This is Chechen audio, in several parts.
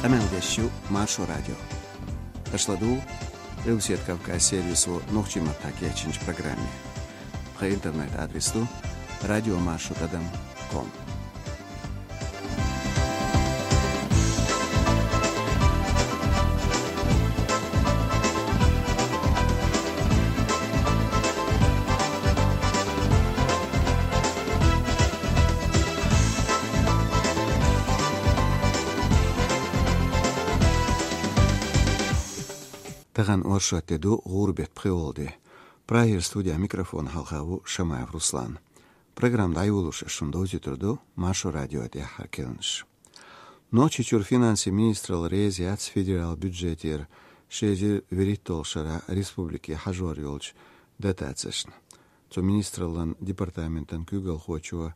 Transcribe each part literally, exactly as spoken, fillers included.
Къамел деш ю Маршо радио. Аша ладугӀу Къилбаседа Кавказ сервисо нохчийн маттахь кечйинчу программе. Тхан интернет-адрес ду радиомаршо тӀадам ком. Тахана оршот де ду, гӀуран беттан пхи де. Прагера студин микрофон хьалха ву Шамаев Руслан. Программа дӀайолош ас шуна довзуьйтур ду Маршо радион тӀаьххьара керланаш. Нохчийчуьра финансийн министралла реза яц федералан бюджетера ши эзар вуьрхӀитталгӀа шарахь республике хьажор йолчу дотацешна. Цу министраллан департаментан куьйгалхочо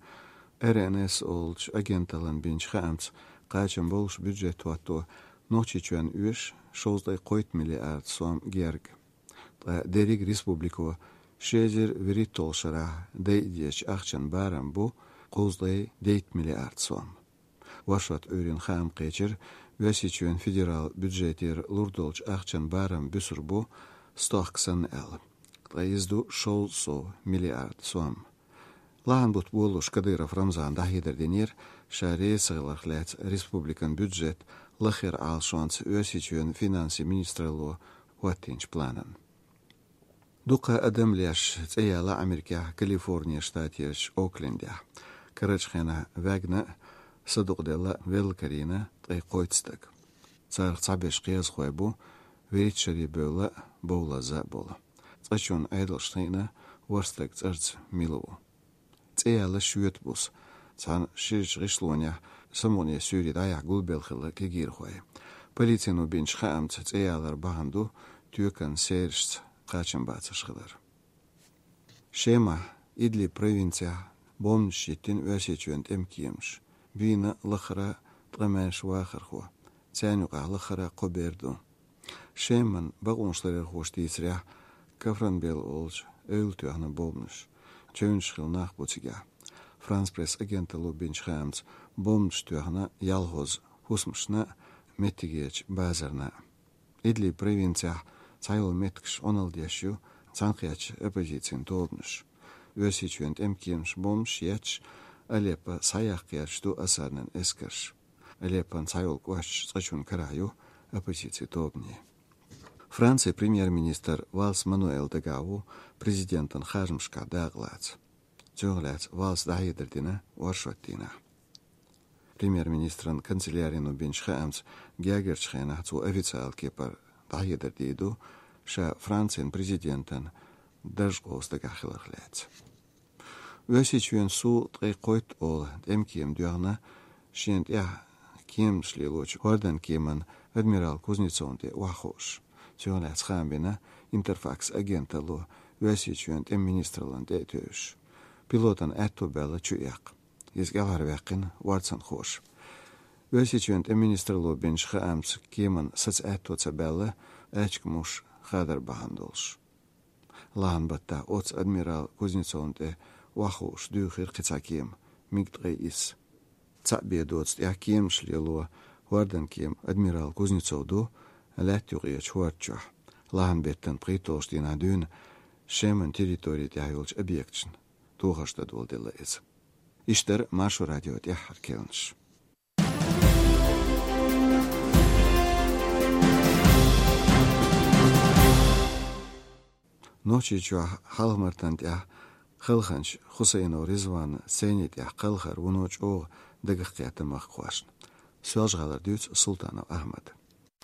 РНС олучу агенталлина бинчу хаамца, кхачам болуш бюджет хӀотто Нохчийчоьнна оьшу шовзткъе кхойтта миллиард сом герга. Ткъа дерриг республико ши эзар вуьрхӀитталгӀа шарахь дайа дезачу ахчан барам бу кхузткъе дейтта миллиард сом. Оршот Ӏуьйранна хаам кхечира, Оьрсийчоьнан федералан бюджетера лур долчу ахчан барам буьсур бу, стохка санна аьлла. Ткъа иза ду шовзткъа сов миллиард сом. Лахьан бутт болалуш Кадыров Рамзана дӀахьедар динера, ша реза ца хиларх лаьцна республикан бюджет лаххара Ӏалашонца Оьрсийчоьнан финансийн министралло хӀоттийначу планан. Дукха адам леш цӀе яьлла Америкехь Калифорнин штатерчу Оклендехь. Карарчу хенахь ваьгна а, садукъаделла а велла карийна ткъе кхойтта стаг. Царах цхьаберш кхиазхой бу, вуьрхӀитта шаре бевлла а, бовлазза а болу. Цкъачунна Ӏедалша хиъна, ворхӀ стаг цӀарца мила ву. ЦӀе яьлла шоьта буса. Цхьана ширачу гӀишлонехь самукъане суьйре дӀаяхьа гулбелла хилла кегийрхой. Полицино бинчу хаамца, цӀе ялар бахьана ду тоькан серашца кхачамбацарш хилар. Шемахь, Идлиб провинцехь бомбанаш йиттина Оьрсийчоьнан тӀеман кемаша. Бийна лахара ткъа маьрша вахархо. Царна юкъахь лахара кхо бер ду. Шеман бакъонашларъярхоша дийцарехь, Кафранбел олучу эвла тоьхна бомбанаш. Чевнаш хилла нах бу цигахь. Франс Пресс агенталло бинчу хаамца, бомбанаш тоьхна ялхазза хӀусамашна а, меттигерчу базарна а. Идлиб провинцехь цхьайолу меттигаш Ӏуналла деш ю цхьаьнакхеттачу оппозицин тобанаш. Оьрсийчоьнан тӀеман кемаша бомбанаш етташ, Алеппо схьаяккха гӀерташ ду Асаднан эскарш. Алеппон цхьайолу кӀошташ цкъачунна карахь ю оппозицин тобанийн. Францин премьер-министр Валс Мануэл дагахь ву президентан харжамашкахь дакъа лаца. Цунах лаьцна Валса дӀахьедар дина оршотан дийнахь. Премьер-министран канцелярино бинчу хаамца, гергарчу хенахь цо официалан кепара дӀахьедар дийр ду, ша Францин президентан дарж къовса дагахь хиларх лаьцна. Оьрсийчоьнан Су ткъе кхойтта олу тӀеман кема доьхна, шена тӀехь кеманаш лелочу хӀордан кеман адмирал Кузнецовна тӀе охьахууш. Цунах лаьцна хаам бина Интерфакс агенталло, Оьрсийчоьнан тӀеман министраллина тӀе а тевжаш. Пилотан аьтто баьлла чуэккха. Иза кӀелхьарваьккхина орцанхоша. Оьрсийчоьнан тӀеман министралло бинчу хаамца, кеман саца аьтто ца баьлла, аьчка муш хадар бахьана долуш. Лахьан баттахь оццу адмирал Кузнецовна тӀе охьахууш дуьйхира кхин цхьа кема, миг ткъе исс. Цхьаъ бен доцу тӀехь кеманаш лело хӀордан кеман адмирал Кузнецов ду лаьтта юкъерчу хӀорда чохь. Лахьан беттан пхийтталгӀачу дийнахь дуьйна Шеман территори тӀехь йолчу объекташна тохарш дан долу делла иза. Иштта дара Маршо радион тӀаьххьара керланаш. Нохчийчохь Хьалха-Мартан тӀехь Халханча Хусейнов Ризванан сцени тӀехь кхалхар вуно чӀогӀа дагах кхетта махкахошна. Соьлжа-ГӀалара дуьйцу Султанов Ахьмада.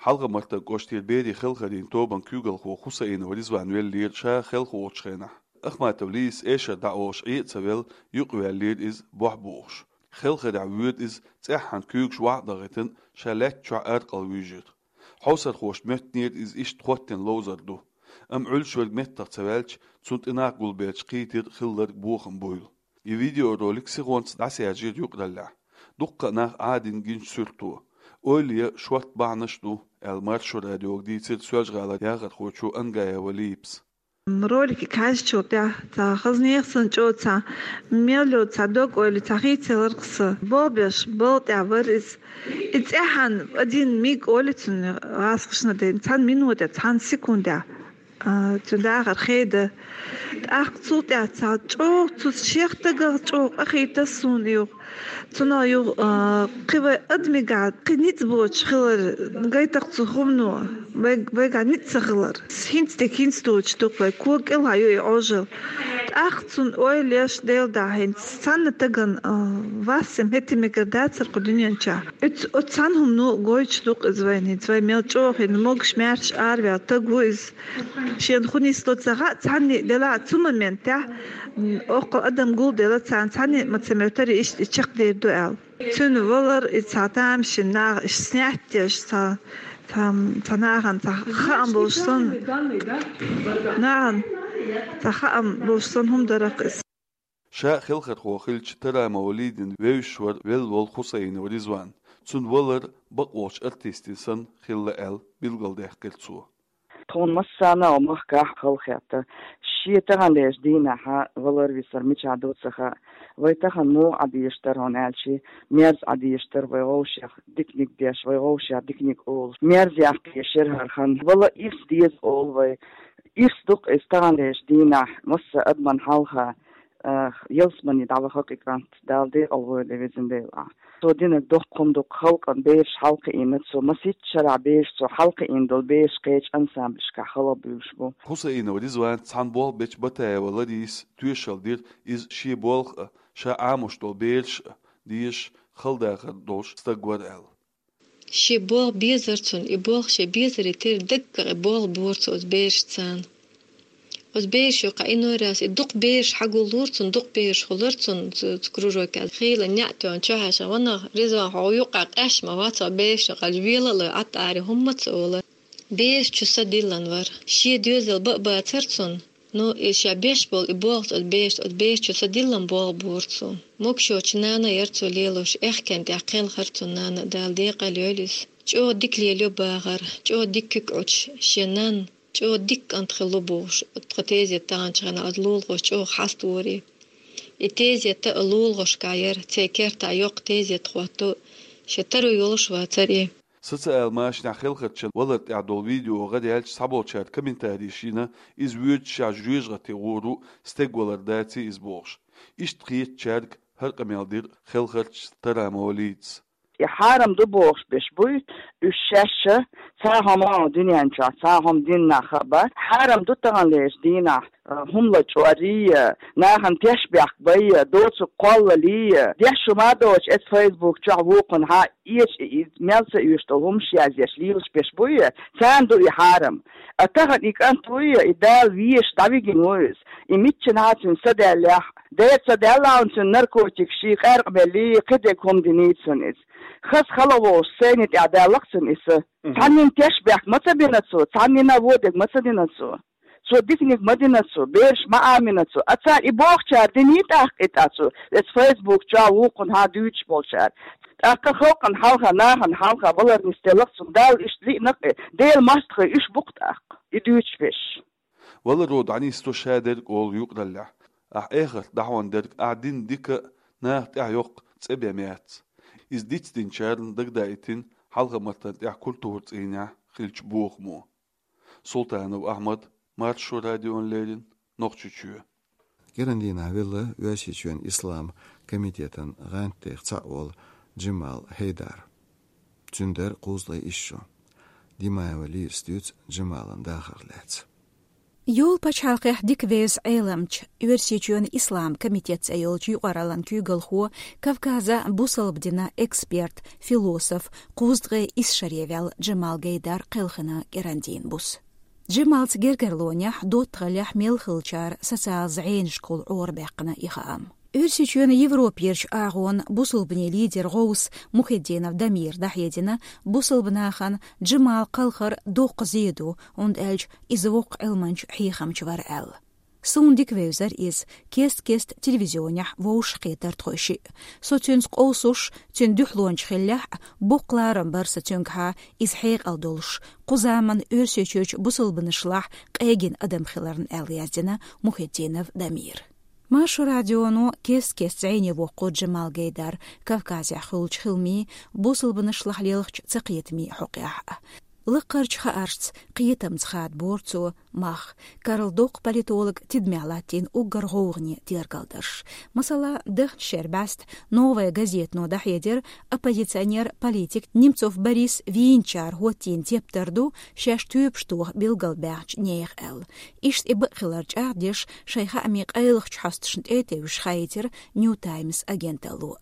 Хьалха-Мартан кӀоштара берийн хелхарийн тобан куьйгалхо Хусейнов Ризван веллера ша хелха воцучу хенахь. Ахматов Лийс эшар дӀаолуш Ӏе а ца велла, юкъаваьллера иза, бохь бухуш. Хелхарехь воьду иза, цӀеххьана куьйгаш вахь а дахийтина, ша лаьтта чохь аркъал вуьйжира. Хьовсархошна моьттинера иза иштта хӀоттийна ловзар ду. Амма Ӏуьллуш верг меттах ца ваьлча, цунна тӀе нах гулбелча кхийтира хилларг бохам буйла. И видеоролик сихонца дӀасаьржира юкъараллехь. Дуккха а нах Ӏадийна гинчу суьрто. Ойла ян шортта бахьанаш а ду, аьлла Маршо радиога дийцира Соьлжа-ГӀалара яхархочо Ангаева Липас. Роликик хьаьжчул тӀехь цхьа хазанех санна чӀогӀа цхьа мел йола цхьа дог-ойла цхьа хийцаларх сан. Бобеш, бал тӀехь вар иза. И цӀехьан один миг олий цунна гӀазкхашна ден, цхьан минутехь, цхьан секундехь, а, цуьнан дахар хеда. ТӀаккха цул тӀехь цхьа чӀогӀа цу шех тагах чӀогӀа къахийтас суна юха. Цунах юха, а, кхин вай адамигахь кхин ницкъ боцуш хилар гайтах цу хӀумано, вай, вайгахь ницкъ ца хилар. ХӀинца дика хӀинца доцуш ду-кх вай, кога кӀелхьа ю и Ӏожалла. ТӀаккха цунна ойла еш Делан дуьхьа хӀинца цхьанна тагана, а, вас-м хӀетте мегар дацара кху дуьнен чохь. Оцу, оцу цхьана хӀумано гойтуш ду-кх иза вайна хӀинца, вай мел чӀогӀа хӀинца могуш-маьрша араваьлла таг ву иза. Шена хӀун нисло ца хаьа, цхьанне а делахь а цу моментехь, м, оккхул адам гулделла царна, цхьанне а ма ца моьттура иштта и чекхдер ду аьлла. Цуьнан валар и цхьа тамашийна наха иштта снять деш, цхьа, цхьа, цхьа нахана цхьа хаам болуш санна, нахана цхьа хаам болуш санна хӀума дара-кх иза. Ша хелхархо хилча Тарамова Лидина вевзаш вара велла волу Хусаинов Ризван. Цуьнан валар бакъволчу артистийн санна хилла аьлла билгалдаьккхира цо. Тхуна массарна а махкахь халахетта. Шен таханлерчу дийнахь валар висар мичахь ду ца хаьа. Вай тахана муха Ӏа дезаш дара хьуна аьлча, мерза Ӏа дезаш дара вай вовшех диканиг деш, вай вовшех диканиг олуш. Мерза яккхий шерхӀархан. Вала ирс деза олу вай. Ирс ду-кх иза таханлерчу дийнахь, масса адаман хьалха, а, ялсамане дӀаваха-кх и кӀант, Дала декъал войла везан Дела ахь. Цо динарг доккха хӀума ду-кх, халкъан бераш хьалакхиийна цо, масийтта шарахь бераш цо хьалакхиийна долу бераш кхечу ансамбльшкахь хала буьйлуш бу. Хусаинов Ризванца цхьаьна болх бечу Батаева Ларисас тоьшалла дира иза шен болх а, ша Ӏамош долу бераш а дезаш, хала дахар долуш стаг вара аьлла. Шен болх безара цунна, и болх шен безаре тера даггара и болх бора цо оцу берашца. Оцу бераш юкъахь и нойрас и дукха бераш хьагуллора цунна, дукха бераш хуьлура цунна цу, цу кружокехь. Хийла неӀ тоьхна чохь а ша ванах, Ризван, хьо юкъахь къаьсташ ма вац, хьо берашна кхача вела а лой, Ӏатта аре хӀумма а ца олура. Бераш чу са диллина вара. Шен доьзал бан а бацара цунна. Ну, и ша беш болу и болх оцу берашца, оцу бераш чу са диллина болх бора цо. Могушочу нана яра цо лелош, аьхкенна тӀехь кхелхира цунна нана, Дала декъал йойла иза. ЧӀогӀа дика лелайо бахара, чӀогӀа дика куьг Ӏуьттуш шен нанна, чӀогӀа дика кӀант хилла бохуш, тхан тезет таханчу хенахь оцу лулахошка чӀогӀа хьаставора и. И тезет а лулахошкахь яра, церан кертахь йоккха тезет хӀотто, шен таро йолуш вацара и. Социал машанехь хелхарчан валар тӀехь долу видео гӀараьлча, цхьаболчара комментарийш йина, иза воьдучехь жоьжахате гӀур ву, стеган валар даций иза бохуш. Иштта хетачаьрга хӀара къамел дира хелхарча Тарамова Лидас. И хьарам ду бохуш беш буй, уьш шаьш а, цхьа хӀума а дуьнен чохь, цхьа хӀума дина нах а бац. Хьарам ду таханлерчу дийнахь, а, хӀума лачкъорий, нахана тешнабехк бай, доцург кхоллалий, деш хӀума а доцуш, эцу Facebook чохь вукхунхьа эча и, и мел ца оьшуш долу хӀумаш язъеш лелаш беш буй, царна ду и хьарам. А тахана и кӀант вуй, и Дала везаш дӀавигина ву иза. И миччанхьа цуьнан са даьллехь, дера ца даьлла хьуна цуьнан наркотикаш, шен къаьркъа беллий, кхидерг хӀума диний цунна иза. Хаза хала волуш, сцени тӀехь даьлла-кх цунна и са. Мгм. Цхьаннина тешнабехк ма ца бина цо, цхьаннина а вон дерг ма ца дина цо. Цо диканиг ма дина цо, бераш ма Ӏамина цо. А цара и бохучара диний тӀаккха и тӀаккха цо, эцу Facebook чохь вукхунхьа дуьйцуш болчара. ТӀаккха халкъана хьалха, нахана хьалха валар нисделла-кх цунна, Далла иштта лиъна-кх и, Делан мостагӀий уьш бу-кх тӀаккха, и дуьйцуш берш. Валаро дӀанисдо шадерг олу юкъараллехь. Ахь эхарт дӀахьон дерг, ахь дина дика а наха тӀехь йоккха цӀе бен яц. Иза дицдинчарна дагадаийтина Хьалха-Мартан тӀехь культура цӀийнехь хиллачу бохамо. Султанов Ахьмад, Маршо радиона леррина, Нохчийчоь. КӀиран дийнахь велла Оьрсийчоьнан ислам комитетан гӀантдех цхьаъ волу Джамал Хьайдар. Цуьнан дара кхузткъе исс шо. Димаева Лизас дуьйцу Джамалан дахарх лаьцна. Йолу пачхьалкхехь дика веза Ӏеламча, Оьрсийчоьнан ислам комитет цӀе йолчу юкъараллан куьйгалхо, Кавказан бусалба динан эксперт, философ, кхузткъе исс шаре ваьлла Джамал Гайдар кхелхина кӀиран дийнан буса. Джамалца гергарлонехь, доттагӀаллехь мел хиллачара социал зӀенашкахула Ӏорабаьккхина и хаам. Оьрсийчоьнан Европерчу агӀонан бусалбанийн лидеран гӀовс Мухиддинов Дамира дӀахьедина бусалба нахана Джамал кхалхар доккха зе ду, хӀунда аьлча иза воккха Ӏилманча, хьехамча вара аьлла. Суна дика вевзар иза, кест-кеста телевизионехь вовшахкхетар тхойшиъ. Со цуьнца къовсуш, цуьнан дуьхьалонча хиллехь а, боккха ларам бар сан цуьнгахьа, иза хьекъал долуш, кху заманан Оьрсийчуьрчу бусалбанашлахь къегина адам хиларна, аьлла яздина Мухитдинов Дамира. Маршо радионо кест-кеста зӀене воккхура Джамал Гайдар Кавказехь хуьлучу хиламийн, бусалбанашлахь лелхачу цакхетамийн хьокъехь а. Лакхарчу хааршца, кхетамца хадабора цо мах, Карла доккха политолог тидамехь латтийна уггар гӀовгӀане тергалдарш. Масала, дахначу шеран бӀаьста «Новая газетано» дӀахьедира оппозиционер-политик Немцов Борис вийначара хӀоттийна тептар ду шаьш тоьпаш тоха билгалбаьхначу нехан аьлла. Иштта и бакъ хилар чӀагӀдеш, шайн хаамийн къайлахчу хьосташна тӀе а тевжаш, хаийтира Нью Таймс агенталло.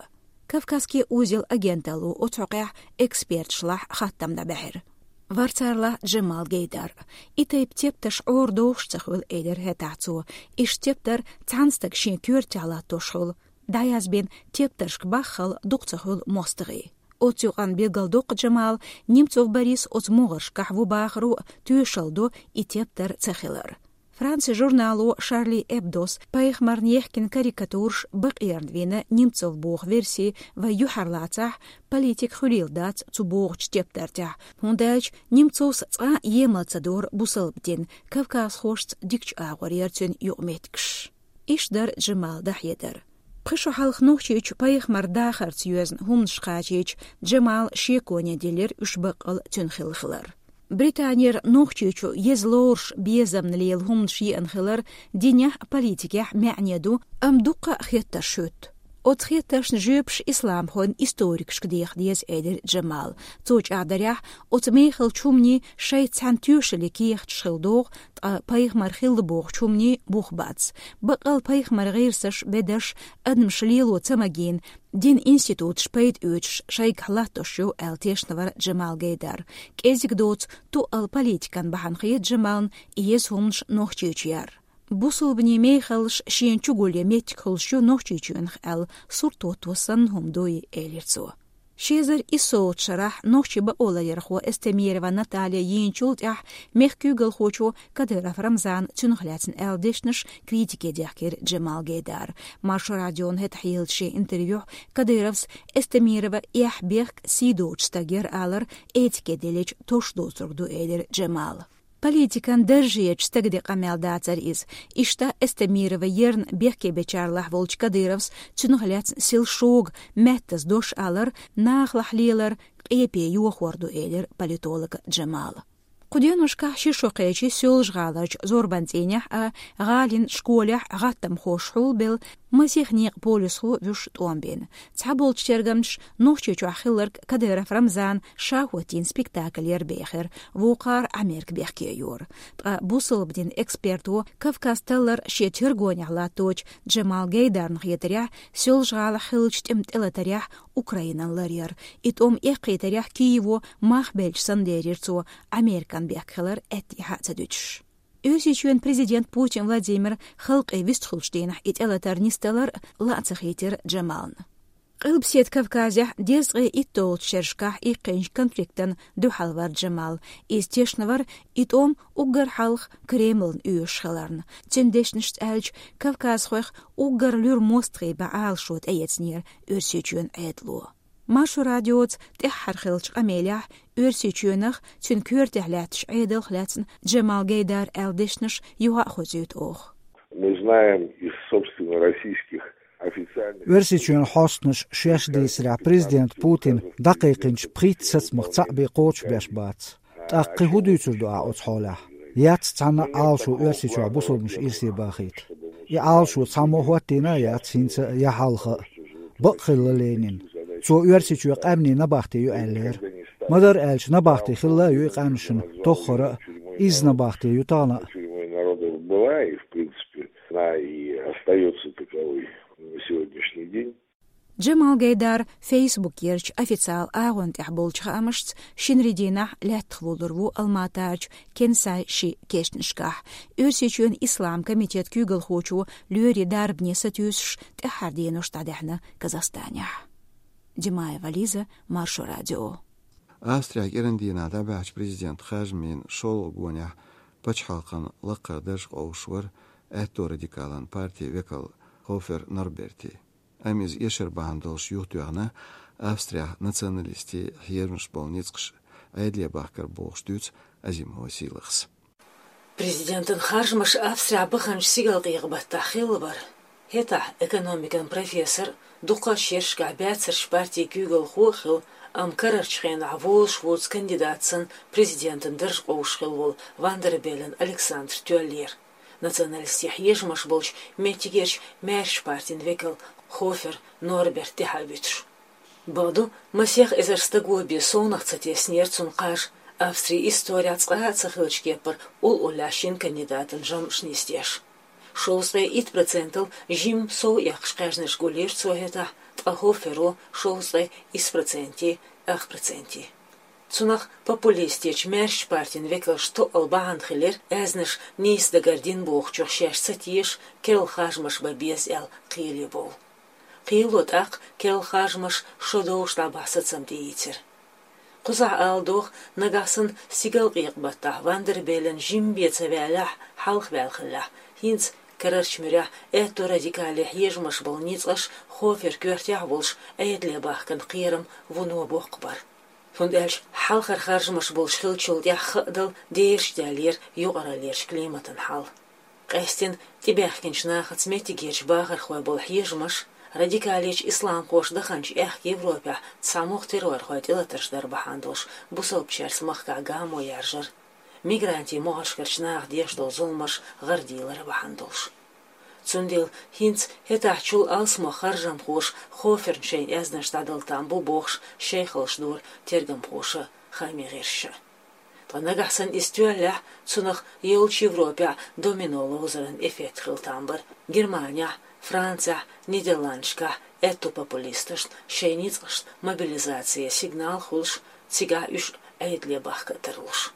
Кавказский узел агенталло оцу хьокъехь экспертташлахь хаттам дӀабаьхьира. Вара царалахь Джамал Гайдар. И тайпа тептарш Ӏорадохуш ца хуьлу, элира хӀетахь цо. Иштта тептар цхьана стага шен коьртехь латтош хуьлу. ДӀаязбина тептаршка баххал дукха ца хуьлу мостагӀий. Оцу юкъанна билгалдоккху Джамала, Немцов Борис оцу могӀаршкахь ву бахаро а тоьшалла до и тептар ца хилар. Францин журнало Шарли Эбдос пайхамарна ехкина карикатураш бакъерна вина Немцов боху верси вай юьхьарлацахь, политика хуьлийла дац цу бохучу тептар тӀехь, хӀунда аьлча Немцовс цкъа а емал ца дора бусалба дин, кавказхошца дикачу агӀор яра цуьнан юкъаметтигаш. Иштта дара Джамала дӀахьедар. Пхи шо хьалха Нохчийчу пайхамаран дахарца йоьзна хӀуманаш кхачийча, Джамала шеконе диллира уьш баккъал цуьнан хилла хилар. Британера Нохчийчу еза лоруш безамна лела хӀуманаш еана хилар динехь а, политикехь а маьӀне ду, амма дуккха а хеттарш хӀуьтту. Оцу хеттаршна жоьпаш исламхойн историкашка деха деза, элира Джамала. Цо чӀагӀдарехь, оцу мехалчу хӀуманийн шайца цхьаьна тоьшаллин кехаташ хилла догӀу, ткъа пайхамар хилла бохучу хӀуманийн бух бац. Баккъал пайхамаран гӀирсаш, бедарш адамаша лело ца магийна, динан институташ пайда оьцуш шайгахь латтош ю, аьлла тешна вара Джамал Гайдар. КӀезиг доцу, туалла политикан бахьана хета Джамална и еза хӀуманаш Нохчийчу яр. Бусалбанийн мехаллаш шена чугулъян меттиг хуьлуш ю Нохчийчоьнах аьлла, сурт хӀотто санна хӀума дуй, элира цо. Ши эзар иссолгӀачу шарахь нохчийн бакъоларъярхо Эстемирова Наталья йийначул тӀаьхьа мехкан куьйгалхочо Кадыров Рамзана цуьнах лаьцна аьлла дешнаш критике дехкира Джамал Гайдара. Маршо радиона хӀетахь еллачу шен интервьюхь Кадыровс Эстемирова эхь, бехк, сий доцу стаг яра алар этике деллачу товш доцург ду, элира Джамала. Политикан даржехь стага де къамел дацара иза. Иштта Эстемирова ерна бехке бечарлахь волчу Кадыровс цуьнах лаьцна сел шога меттаза дош алар нахалахь лелар къепе йохор ду, элира политолога Джамала. Кху деношкахь ши шо кхечи Соьлжа-ГӀаларчу зорбан цӀийнехь а, гӀалин школехь гӀаттамхоша хьулбелла, масех некъан полисхо вуьш тӀом бина. Цхьаболчу тергамчаша Нохчийчохь хилларг Кадыров Рамзана ша хӀоттийна спектакль яра бехира, вукхара Ӏамерка бехке йора. Ткъа бусалба динан эксперто Кавказ таллар шен тергонехь латточу Джамал Гайдарна хетарехь, Соьлжа-ГӀалахь хиллачу тӀеман тӀелатарехь Украинан ларъяра. И тӀом эккхийтарехь Киево мах белча санна лерира цо, Американ бехк хилар аьттехьа а ца дуьтуш. Оьрсийчоьнан президент Путин Владимир халкъе вистхуьлучу дийнахь и тӀелатар нисдалар лаа ца хийтира Джамална. Къилбаседа Кавказехь дезткъе итталгӀачу шерашкахь иккхинчу конфликтан дуьхьал вара Джамал. Иза тешна вара и тӀом уггар хьалха Кремльна оьшуш хиларна. Цуьнан дешнашца аьлча, кавказхойх уггар луьра мостагӀий бан Ӏалашо тӀеэцнера Оьрсийчоьнан Ӏедало. Маршо радиоца тӀаьххьара хиллачу къамелехь Оьрсийчоьнах, цуьнан коьртехь лаьттачу Ӏедалх лаьцна Джамал Гайдар аьлла дешнаш юха а хоьзуьйту оха. Мы знаем из, собственно, российских официальных... Оьрсийчоьнан хьостанаша шаьш дийцарехь, президент Путина дӀакхайкхинчу пхийтта сацамах цхьаъ бен кхочушбеш бац. ТӀаккха кхин хӀун дуьйцур ду ахь оцу хьолехь? Яц цхьанна а Ӏалашо Оьрсийчохь бусалбанаш ирсе бахийта. И Ӏалашо цхьаммо а хӀоттийна а яц хӀинца а, я хьалха а. Бакъ хилла Ленина. Цо Оьрсийчоь къаьмнийн набахте ю аьллера. Ма-дарра аьлча, набахте хилла а ю и къаьмнашна тоххара а, изза набахте ю тахана а. Тюрьмой народов была и, в принципе, она и остаётся таковой на сегодняшний день. Джамал Гайдар Фейсбукерчу официал агӀон тӀехь болчу хаамашца, шинарин дийнахь лаьттах вуллур ву Алматарчу Кенсай ши кешнашкахь. Оьрсийчоьнан Ислам комитет куьйгалхочо лоьрийн дарбане сатуьйсуш тӀаьххьара денош дӀадаьхьна Казахстанехь. Димаева Лиза, Маршо радио. Австрехь кӀиран дийнахь дӀабаьхьачу президент Хажмин шолгӀа гонехь пачхьалкхан лакхара дарж къовсуш вара аьтто радикалан партин векал Хофер Норберти. Амма иза эшар бахьана долуш юхатоьхна Австрехь националистийн хьежамаш болу ницкъаш Ӏедале бахкар бохуш дуьйцу Азимова Сийлахьас. Президентан харжамаш Австрехь баханчу стигалкъекъа-баттахь хилла бара. ХӀетахь экономикан профессор, дукхачу шерашкахь баьццарчу партийн куьйгалхо а хилла, амма карарчу хенахь вузуш вуьйцу кандидат санна президентан дарж къовсуш хилла волу Ван дер Беллен Александр тоьллера. Националистийн хьежамаш болчу меттигерчу маьршачу партин векал Хофер Норберт тӀаьхьа а вуьтуш. Бакъду, масех эзар стага бен совнах ца теснера цунна кхаж, Австрин исторехь цкъа а ца хиллачу кепара уллохь шина кандидатан жамӀаш нисдеш. Шовзткъе итт процентал жимма сов эккхаш кхаьжнаш гулйира цо хӀетахь, ткъа Хоферо шовзткъе исс процентий, ах процентий. Цунах популистичу маьршачу партин векалш тоъал бахьана хилира, аьзнаш нийса дагардина бохучух шаьш ца тешаш, керла харжамаш бан беза аьлла кхеле бовла. Кхело тӀаккха керла харжамаш шо довш дӀабахьа сацам тӀеийцира. Кхузахь ала догӀу, нагахь санна стигалкъекъа-баттахь Ван дер Беллен жимма бен ца ваьллехь, хьалха ваьлла хиллехь, хӀинца карарчу муьрехь аьтто радикале хьежамаш болу ницкъаш Хофер коьртехь а волуш Ӏедале бахкан кхерам вуно боккха бара. ХӀунда аьлча хьалхара харжамаш болуш хиллачул тӀаьхьа хаа дала дераш даьллера юкъараллерчу климатан хьал. Къаьсттина тӀебаьхкинчу нахаца меттигерчу бахархойн болу хьежамаш, радикалечу исламхоша даханчу аьхка Европехь цхьа могӀа террорхойн тӀелатарш дар бахьана долуш бусалбачаьрца махкахь гамо яржар, мигрантийн могӀаршкарчу наха деш долу зуламаш гӀарадийлар бахьана долуш. Цундела хӀинца хӀетахьчул алсамо харжамхоша Хоферна шайн аьзнаш дӀадала там бу бохуш шайхаллаш дора тергамхоша, хаамийн гӀирсаша. Ткъа нагахь санна иза тоьллехь, цунах йолчу Европехь домино ловзаран эффект хила там бара. Германехь, Францехь, Нидерландашкахь аьтто популисташна шайн ницкъашна мобилизацин сигнал хуьлуш, цигахь уьш Ӏедале бахка а тарлуш.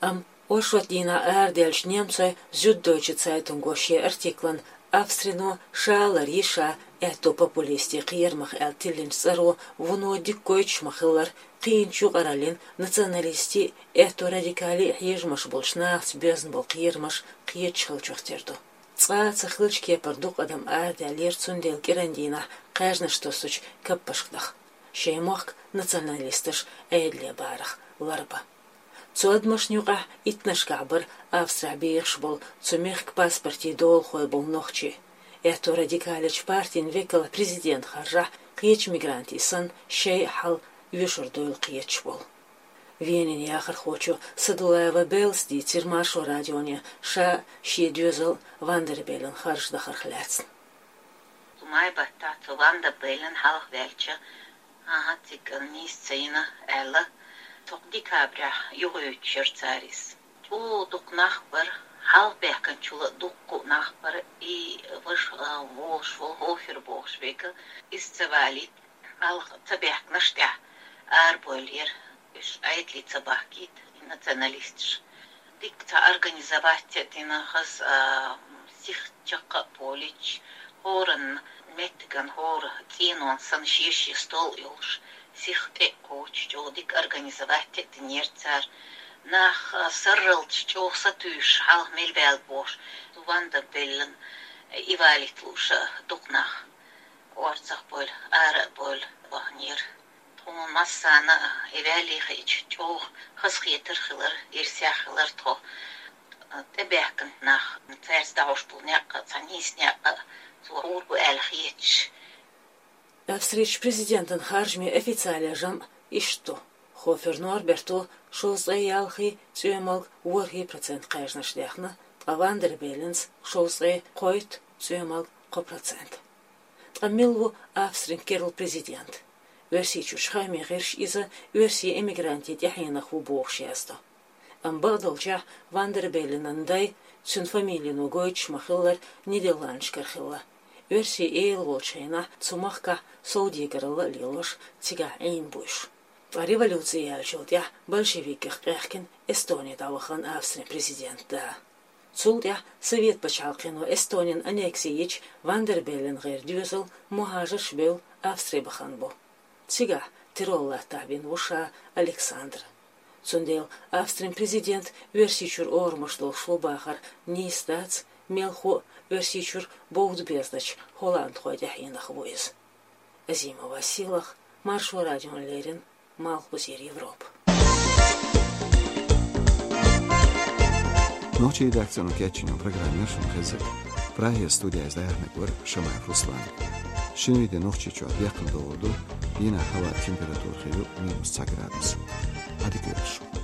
Амма оршот дийнахь арадаьллачу немцойн Зюддойче Цайтунго шен артиклан «Австрино ша а лар йиш а аьтто популистийн кхерамах» аьлла тиллинчу цӀаро вуно дика гойтуш ма-хиллара, кхиъначу юкъараллин, националистийн, аьтто радикалин хьежамаш болчу нахаца боьзна болу кхерамаш кхеташ хиллачух тера ду. Цкъа а ца хиллачу кепара дукха адам арадаьллера цундела кӀиран дийнахь кхаьжнаш тосучу каппашка даха, шайн мохк националисташ Ӏедале барах ларбан. Цу адамашна юкъахь иттаннашкахь бара Австрехь бехаш болу, цу мехкан паспортийн долахой болу нохчий. Аьтто радикалечу партин векал президент харжахь, кхечу мигрантийн санна, шайн а хьал оьшур дуйла кхеташ болу. Венин яхархочо Садулаева Беллас дийцира Маршо радионе ша а, шен доьзал а Ван дер Беллен харж дахарх лаьцна. Май баттахь цу Ван дер Беллен хьалха ваьлча, ахьа, цига нийса ца йина аьлла, тхо декабрехь юхайоьдуш яра цара иза. ЧӀогӀа дукха нах бара, хьалха баьхкинчул а дуккха а нах бара, и ваша, а, волуш волу Хофер бохуш векал, иза ца валийта, хьалха ца баьхкинарш тӀехь арабойлура, уьш Ӏедале ца бахкийта, и националисташ. Дика цхьа организовать а дина хаза, а, сиха чаккха а полуьйтуш, хӀоранна меттиган хӀора цӀенонна санна шен-шен стол а йолуш, сиха тӀе а кхочуш, чӀогӀа дика организовать а динера цара. Нах, а, сарралташ чӀогӀа сатуьйсуш, хьалха мел баьлла бохуш, Ван дер Беллен и валийта лууш а дукха нах орцах а бевлла, ара а бевлла баханера. Тхуна массарна а и ваьлле хиъча, чӀогӀа хазахетар хилар, ирсех хилар тхо. ТӀебаьхкинчу нах, цаьрца дӀахьош болу некъ а, цхьа нийса некъ а цо хьур бу аьлла хеташ. Австрерчу президентан харжамийн официалан жамӀ иштта ду: Хофер Норберто шовзткъе ялхий, цӀоьмалг ворхӀий процент кхаьжнаш даьхна, ткъа Ван дер Белленца шовзткъе кхойтта, цӀоьмалг кхо процент. Ткъа мила ву Австрин керла президент? Оьрсийчуьрчу хаамийн гӀирсаша иза оьрсийн эмигрантийн тӀаьхьенах ву бохуш яздо. Амма бакъдолчехь Ван дер Белленан дай, цуьнан фамилино гойтуш ма-хиллара, Нидерландашкара хилла. Оьрсийн эла волчу хенахь цу махкахь совдегаралла а лелош, цигахь Ӏийна бу уьш. Ткъа революци яьллачул тӀаьхьа большевикех къехкина Эстоне дӀавахана Австрин президентан да. Цул тӀаьхьа Совет пачхьалкхо Эстонин аннекси йича, Ван дер Беллен гӀайре доьзал мухӀажарш бевлла Австри бахана бу. Цигахь террор латтахь вина ву ша Александр. Цундела Австрин президент Оьрсийчуьра орамаш долуш ву бахар нийса дац, Мелхо Оьрсийчуьра бовда безача холландхой тӀехьенах ву иза. Азимова Сийлаха, Маршо радиона леррина, Малхбузера Европа. Нохчийн редакцино кечйина программа яра шуна хезар. Прагера студера яьхьнарг вара Шамаев Руслан. Шинарин де Нохчийчохь бекхам догӀур ду, дийнахь хӀаваан температура хир ю минус цхьа градус. Ӏадика йойла шун.